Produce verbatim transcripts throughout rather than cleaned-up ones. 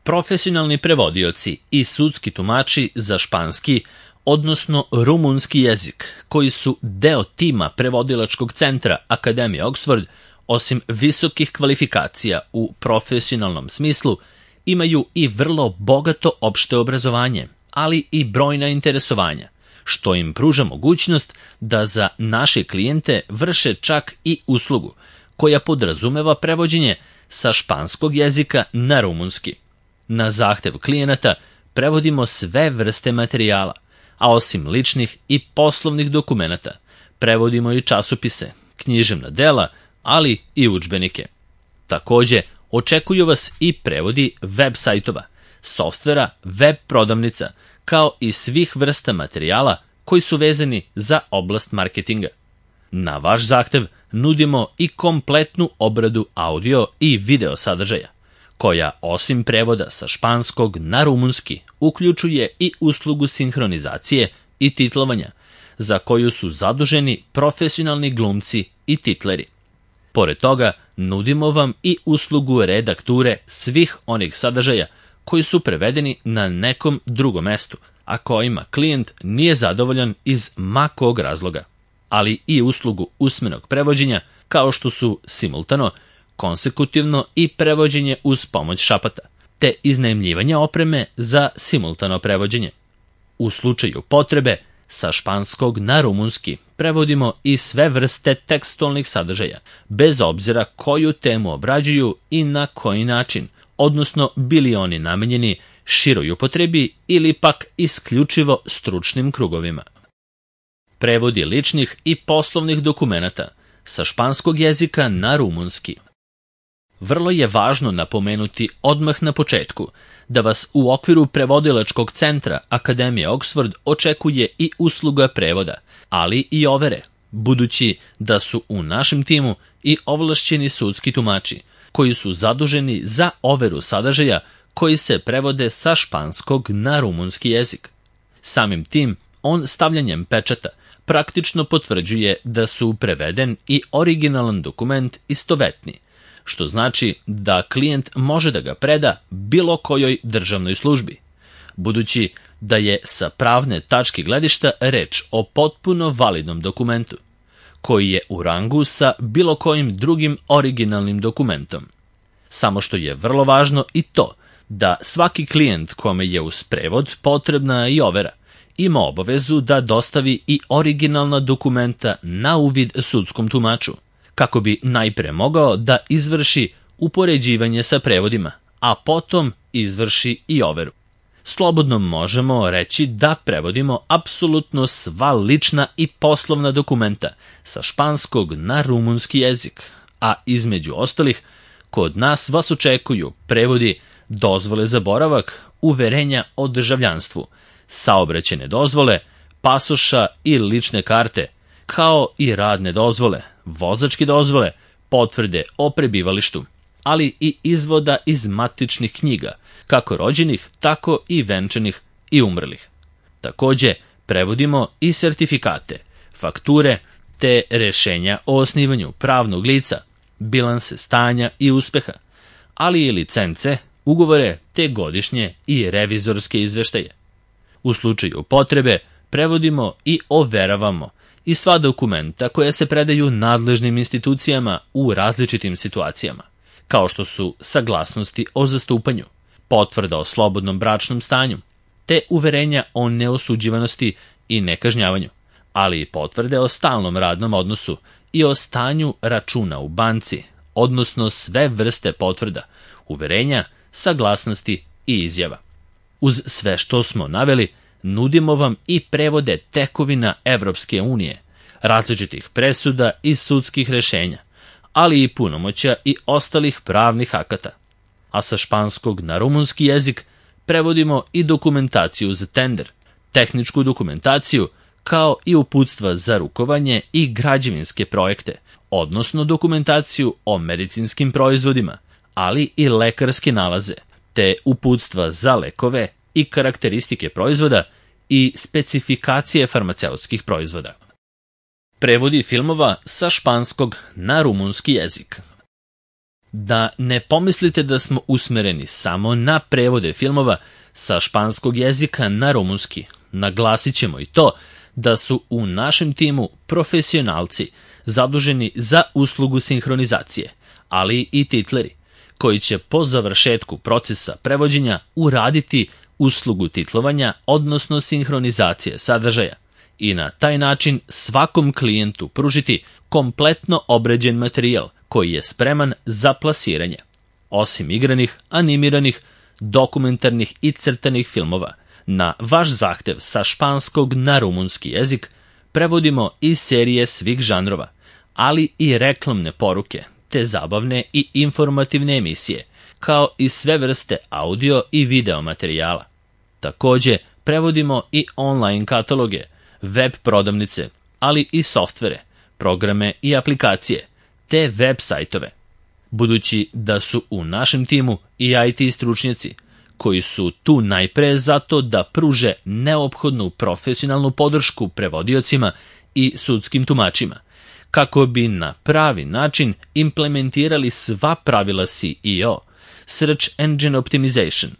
Profesionalni prevodioci i sudski tumači za španski, odnosno rumunski jezik, koji su deo tima prevodilačkog centra Akademije Oxford, osim visokih kvalifikacija u profesionalnom smislu, imaju i vrlo bogato opšte obrazovanje, ali i brojna interesovanja, što im pruža mogućnost da za naše klijente vrše čak i uslugu, koja podrazumeva prevođenje sa španskog jezika na rumunski. Na zahtev klijenata prevodimo sve vrste materijala, a osim ličnih i poslovnih dokumenata, prevodimo i časopise, književna dela, ali i udžbenike. Takođe, očekuju vas i prevodi web sajtova, softvera, web prodavnica, kao i svih vrsta materijala koji su vezani za oblast marketinga. Na vaš zahtev nudimo i kompletnu obradu audio i video sadržaja, koja osim prevoda sa španskog na rumunski uključuje i uslugu sinhronizacije i titlovanja, za koju su zaduženi profesionalni glumci i titleri. Pored toga, nudimo vam i uslugu redakture svih onih sadržaja koji su prevedeni na nekom drugom mestu, a kojima klijent nije zadovoljan iz ma kog razloga, ali i uslugu usmenog prevođenja, kao što su simultano, konsekutivno i prevođenje uz pomoć šapata, te iznajmljivanje opreme za simultano prevođenje. U slučaju potrebe, sa španskog na rumunski prevodimo i sve vrste tekstualnih sadržaja, bez obzira koju temu obrađuju i na koji način, odnosno bili oni namenjeni široj upotrebi ili pak isključivo stručnim krugovima. Prevodi ličnih i poslovnih dokumenata sa španskog jezika na rumunski. Vrlo je važno napomenuti odmah na početku da vas u okviru prevodilačkog centra Akademije Oxford očekuje i usluga prevoda, ali i overe, budući da su u našem timu i ovlašćeni sudski tumači, koji su zaduženi za overu sadržaja koji se prevode sa španskog na rumunski jezik. Samim tim, on stavljanjem pečata praktično potvrđuje da su preveden i originalan dokument istovetni, što znači da klijent može da ga preda bilo kojoj državnoj službi, budući da je sa pravne tačke gledišta reč o potpuno validnom dokumentu, koji je u rangu sa bilo kojim drugim originalnim dokumentom. Samo što je vrlo važno i to da svaki klijent kome je uz prevod potrebna i overa, ima obavezu da dostavi i originalna dokumenta na uvid sudskom tumaču, kako bi najpre mogao da izvrši upoređivanje sa prevodima, a potom izvrši i overu. Slobodno možemo reći da prevodimo apsolutno sva lična i poslovna dokumenta sa španskog na rumunski jezik, a između ostalih, kod nas vas očekuju prevodi dozvole za boravak, uverenja o državljanstvu, saobraćajne dozvole, pasoša i lične karte, kao i radne dozvole, vozačke dozvole, potvrde o prebivalištu, ali i izvoda iz matičnih knjiga, kako rođenih, tako i venčanih i umrlih. Takođe, prevodimo i sertifikate, fakture, te rešenja o osnivanju pravnog lica, bilanse stanja i uspeha, ali i licence, ugovore, te godišnje i revizorske izveštaje. U slučaju potrebe, prevodimo i overavamo i sva dokumenta koja se predaju nadležnim institucijama u različitim situacijama, kao što su saglasnosti o zastupanju, potvrda o slobodnom bračnom stanju, te uverenja o neosuđivanosti i nekažnjavanju, ali i potvrde o stalnom radnom odnosu i o stanju računa u banci, odnosno sve vrste potvrda, uverenja, saglasnosti i izjava. Uz sve što smo naveli, nudimo vam i prevode tekovina Evropske unije, različitih presuda i sudskih rešenja, ali i punomoćja i ostalih pravnih akata. A sa španskog na rumunski jezik prevodimo i dokumentaciju za tender, tehničku dokumentaciju, kao i uputstva za rukovanje i građevinske projekte, odnosno dokumentaciju o medicinskim proizvodima, ali i lekarske nalaze, te uputstva za lekove i karakteristike proizvoda i specifikacije farmaceutskih proizvoda. Prevodi filmova sa španskog na rumunski jezik. da ne pomislite da smo usmereni samo na prevode filmova sa španskog jezika na rumunski. Naglasit ćemo i to da su u našem timu profesionalci zaduženi za uslugu sinhronizacije, ali i titleri, koji će po završetku procesa prevođenja uraditi uslugu titlovanja, odnosno sinhronizacije sadržaja, i na taj način svakom klijentu pružiti kompletno obrađen materijal koji je spreman za plasiranje. Osim igranih, animiranih, dokumentarnih i crtanih filmova, na vaš zahtev sa španskog na rumunski jezik prevodimo i serije svih žanrova, ali i reklamne poruke, te zabavne i informativne emisije, kao i sve vrste audio i video materijala. Takođe, prevodimo i online kataloge, web prodavnice, ali i softvere, programe i aplikacije, te web sajtove. Budući da su u našem timu i I T stručnjaci, koji su tu najpre zato da pruže neophodnu profesionalnu podršku prevodiocima i sudskim tumačima, kako bi na pravi način implementirali sva pravila S E O, Search Engine Optimization.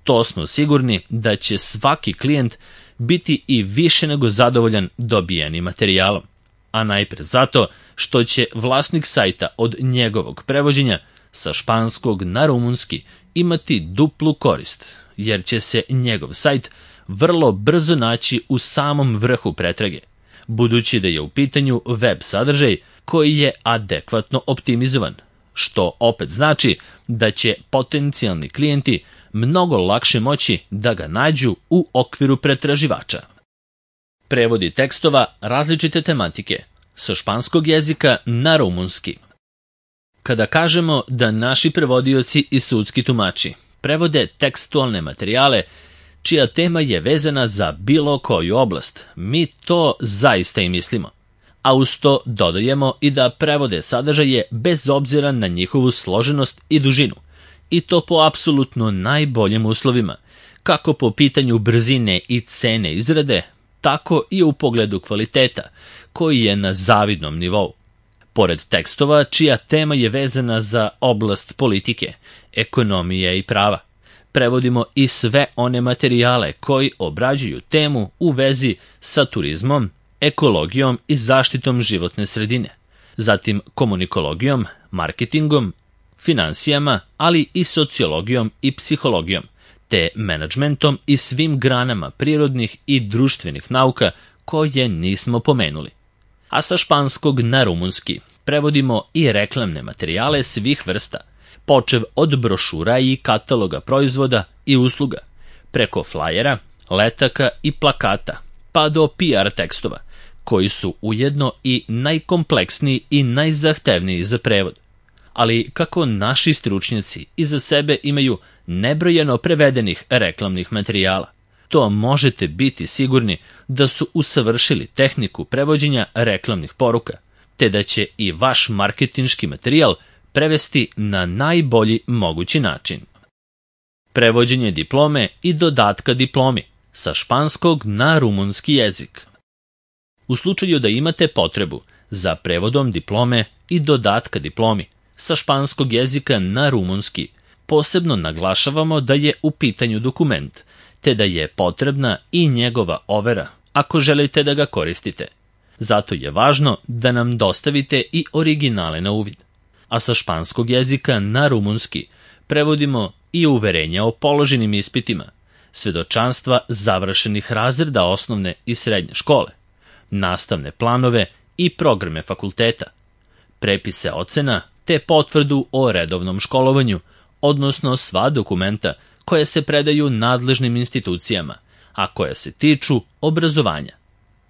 To smo sigurni da će svaki klijent biti i više nego zadovoljan dobijenim materijalom, a najpre zato što će vlasnik sajta od njegovog prevođenja sa španskog na rumunski imati duplu korist, jer će se njegov sajt vrlo brzo naći u samom vrhu pretrage, budući da je u pitanju web sadržaj koji je adekvatno optimizovan, što opet znači da će potencijalni klijenti mnogo lakše moći da ga nađu u okviru pretraživača. Prevodi tekstova različite tematike sa španskog jezika na rumunski. Kada kažemo da naši prevodioci i sudski tumači prevode tekstualne materijale čija tema je vezana za bilo koju oblast, mi to zaista i mislimo. A uz to dodajemo i da prevode sadržaje bez obzira na njihovu složenost i dužinu, i to po apsolutno najboljim uslovima, kako po pitanju brzine i cene izrade, tako i u pogledu kvaliteta, koji je na zavidnom nivou. Pored tekstova čija tema je vezana za oblast politike, ekonomije i prava, prevodimo i sve one materijale koji obrađuju temu u vezi sa turizmom, ekologijom i zaštitom životne sredine, zatim komunikologijom, marketingom, finansijama, ali i sociologijom i psihologijom, te menadžmentom i svim granama prirodnih i društvenih nauka koje nismo pomenuli. A sa španskog na rumunski prevodimo i reklamne materijale svih vrsta, počev od brošura i kataloga proizvoda i usluga, preko flajera, letaka i plakata, pa do P R tekstova, koji su ujedno i najkompleksniji i najzahtevniji za prevod. Ali kako naši stručnjaci iza sebe imaju nebrojeno prevedenih reklamnih materijala, to možete biti sigurni da su usavršili tehniku prevođenja reklamnih poruka, te da će i vaš marketinški materijal prevesti na najbolji mogući način. Prevođenje diplome i dodatka diplomi sa španskog na rumunski jezik. U slučaju da imate potrebu za prevodom diplome i dodatka diplomi sa španskog jezika na rumunski, posebno naglašavamo da je u pitanju dokument, te da je potrebna i njegova overa ako želite da ga koristite. Zato je važno da nam dostavite i originale na uvid. A sa španskog jezika na rumunski prevodimo i uverenja o položenim ispitima, svedočanstva završenih razreda osnovne i srednje škole, nastavne planove i programe fakulteta, prepise ocena te potvrdu o redovnom školovanju, odnosno sva dokumenta koje se predaju nadležnim institucijama, a koje se tiču obrazovanja.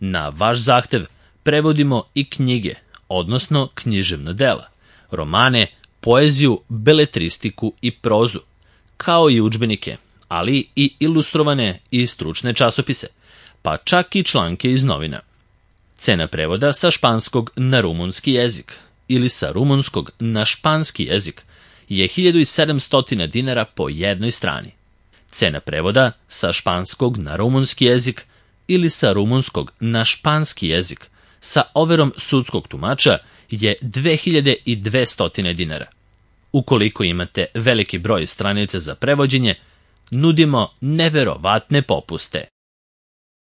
Na vaš zahtev prevodimo i knjige, odnosno književna dela, romane, poeziju, beletristiku i prozu, kao i udžbenike, ali i ilustrovane i stručne časopise, pa čak i članke iz novina. Cena prevoda sa španskog na rumunski jezik ili sa rumunskog na španski jezik je hiljadu sedamsto dinara po jednoj strani. Cena prevoda sa španskog na rumunski jezik ili sa rumunskog na španski jezik sa overom sudskog tumača je dve hiljade dvesta dinara. Ukoliko imate veliki broj stranica za prevođenje, nudimo neverovatne popuste.